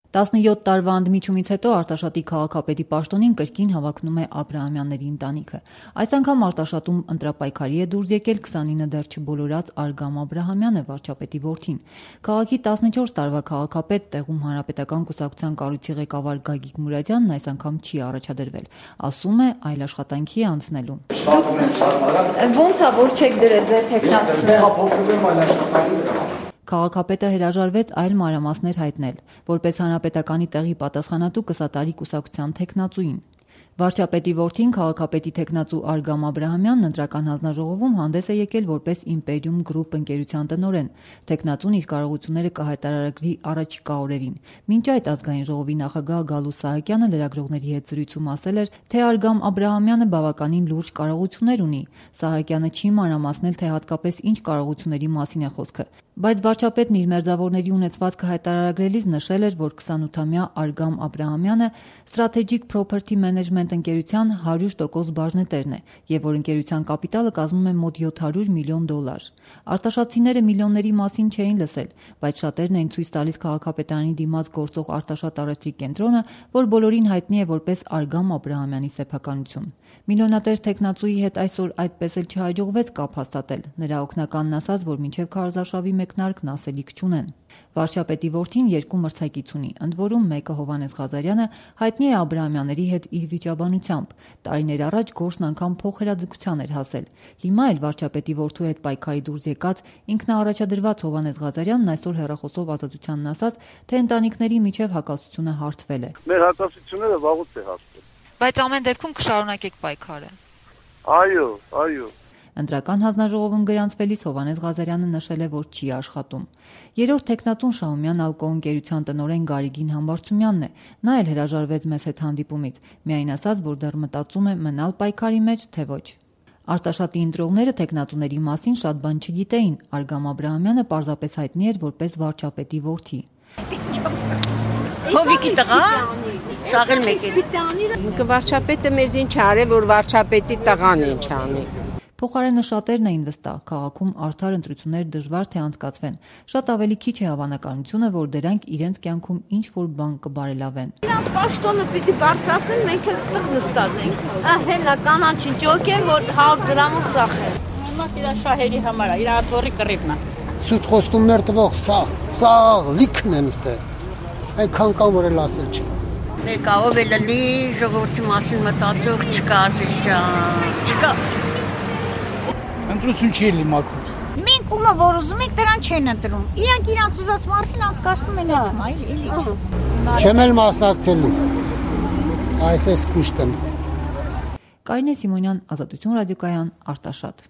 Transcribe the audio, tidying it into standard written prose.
17 տարվա ընդմիջումից հետո Արտաշատի քաղաքապետի պաշտոնին կրկին հավակնում է Աբրահամյանների ընտանիքը։ Այս անգամ Արտաշատում ընտրապայքարի է դուրս եկել 29 դեռ չբոլորած Արգամ Աբրահամյանը, վարչապետի որդին։ Քաղաքի 14 տարվա քաղաքապետ, տեղում հանրապետական կուսակցության կառույցի ղեկավար Գագիկ Մուրադյանն այս անգամ չի առաջադրվել։ Ասում է, այլ աշխատանքի է անցնելու։ Ոնց է, որ չեք դրել ձեր թեկնածուները։ Քաղաքապետը հրաժարվեց այլ մանրամասներ հայտնել, որպես հանրապետականի տեղի պատասխանատու կսատարի կուսակցության թեկնածուին։ Վարչապետի որդին քաղաքապետի թեկնածու Արգամ Աբրահամյանն ընտրական հանձնաժողովում հանդես է եկել որպես Իմպերիում գրուպ ընկերության տնօրեն։ Թեկնածուն իր կարողությունները կհայտարարի առաջիկա օրերին։ Մինչ այդ ազգային ժողովի նախագահ Գալուստ Սահակյանը լրագրողների հետ զրույցում ասել էր, թե Արգամ Աբրահամյանը բավականին լուրջ կարողություններ ունի։ Սահակյանը չի մանրամասնել, թե հատկապես ինչ կարողությունների մասին է խոսքը։ Բայց վարչապետն իր մերձավորների ունեցվածքը հայտարարագրելիս նշել էր, որ 28-ամյա Արգամ Աբրահամյանը Strategic Property Management ընկերության 100% բաժնետերն է եւ որ ընկերության կապիտալը կազմում է մոտ $700 միլիոն։ Արտաշատցիները միլիոնների մասին չէին լսել, բայց շատերն էին ցույց տալիս քաղաքապետարանի դիմաց գործող Արտաշատ առաջի կենտրոնը, որ բոլորին հայտնի է որպես Արգամ Աբրահամյանի սեփականություն։ Միլիոնատեր թեկնածուի հետ այսօր այդպես էլ չհաջողվեց կապ հաստատել։ Նրա օգնականն ասաց, որ մինչև քարոզարշավի մեկնարկն ասելիք չունեն։ Վարչապետի որդին 2 մրցակից ունի, ընդ որում մեկը Հովհաննես Ղազարյանը հայտնի է Աբրահամյանների հետ իր վիճաբանությամբ։ Տարիներ առաջ գործն անգամ փոխհրաձգության էր հասել։ Հիմա էլ վարչապետի որդու հետ պայքարի դուրս եկած ինքնաառաջադրված Հովհաննես Ղազարյանն այսօր հեռախոսով Ազատությանն ասաց, թե ընտանիքների միջև հակասությունը հարթվել է։ Մեր հակասությունները վաղուց է հասել։ Բայց ամեն դեպքում կշարունակեք պայքարը։ Այո։ Ընտրական հանձնաժողովում գրանցվելիս Հովհաննես Ղազարյանը նշել է, որ չի աշխատում։ Երրորդ թեկնածուն Շահումյան ալկոհ ընկերության տնօրեն Գարիգին Համբարձումյանն է։ Նա էլ հրաժարվեց մեզ հետ հանդիպումից, միայն ասաց, որ դեռ մտածում է մնալ պայքարի մեջ, թե ոչ։ Արտաշատի ընտրողները թեկնածուների մասին շատ բան չգիտեին։ Արգամ Աբրահամյանը պարզապես հայտնի էր որպես վարչապետի որդի։ Հովիկի տղա, շաղել մեկ է։ Վարչապետը մեզ ինչ արել, որ վարչապետի տղան ինչ անի։ Փոխարենը շատերն էին վստահ, քաղաքում արդար ընտրություններ դժվար թե անցկացվեն։ Շատ ավելի քիչ է հավանականությունը, որ դրանք իրենց կյանքում ինչ-որ բան կբարելավեն։ Իրանց պաշտոնը պիտի բարձրացնեն, մենք էլ ստեղ նստած ենք։ Հենա կանաչին ճոք է, որ 100 գրամով ծախել։ Հիմա իր շահերի համար է, իր աթոռի կռիվն է։ Սուտ խոստումներ տվող սաղ լիքն են ստե։ Այդքան կան, որ էլ ասել չկա։ Մեկը ով է լի ժողովրդի մասին մտածող չկա, չկա։ Ընտրություն չի լի մաքուր։ Մենք ումը որ ուզում ենք դրան չեն ընտրում։ Իրանք իրանց ուզած մարդին անցկացնում են այդ մայլ, էլի չէ։ Չեմ էլ մասնակցելու։ Այս է կուշտեմ։ Կարինե Սիմոնյան, Ազատություն ռադիոկայան, Արտաշատ։